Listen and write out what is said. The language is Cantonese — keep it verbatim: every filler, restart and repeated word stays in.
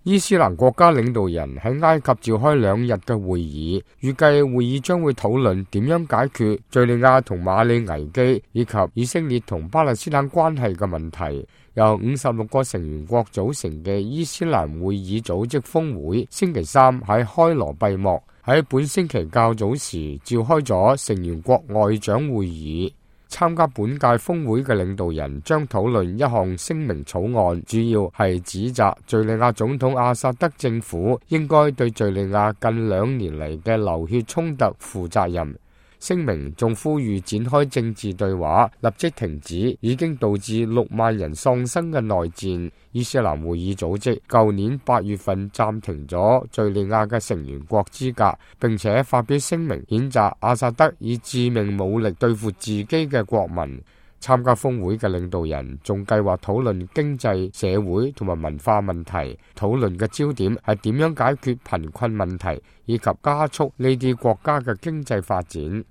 伊斯蘭國家領導人喺埃及召開兩日嘅會議，預計會議將會討論點樣解決敘利亞同馬里危機以及以色列同巴勒斯坦關係嘅問題。由五十六個成員國組成嘅伊斯蘭會議組織峰會星期三喺開羅閉幕，喺本星期較早時召開咗成員國外長會議。參加本屆峰會嘅領導人將討論一項聲明草案，主要係指責敘利亞總統阿薩德政府應該對敘利亞近兩年嚟嘅流血衝突負責任。聲明仲呼籲展開政治對話，立即停止已經導致六萬人喪生嘅內戰。伊斯蘭會議組織舊年八月份暫停咗敘利亞嘅成員國資格，並且發表聲明譴責阿薩德以致命武力對付自己嘅國民。參加峰會嘅領導人仲計劃討論經濟、社會同埋文化問題，討論嘅焦點係點樣解決貧困問題，以及加速呢啲國家嘅經濟發展。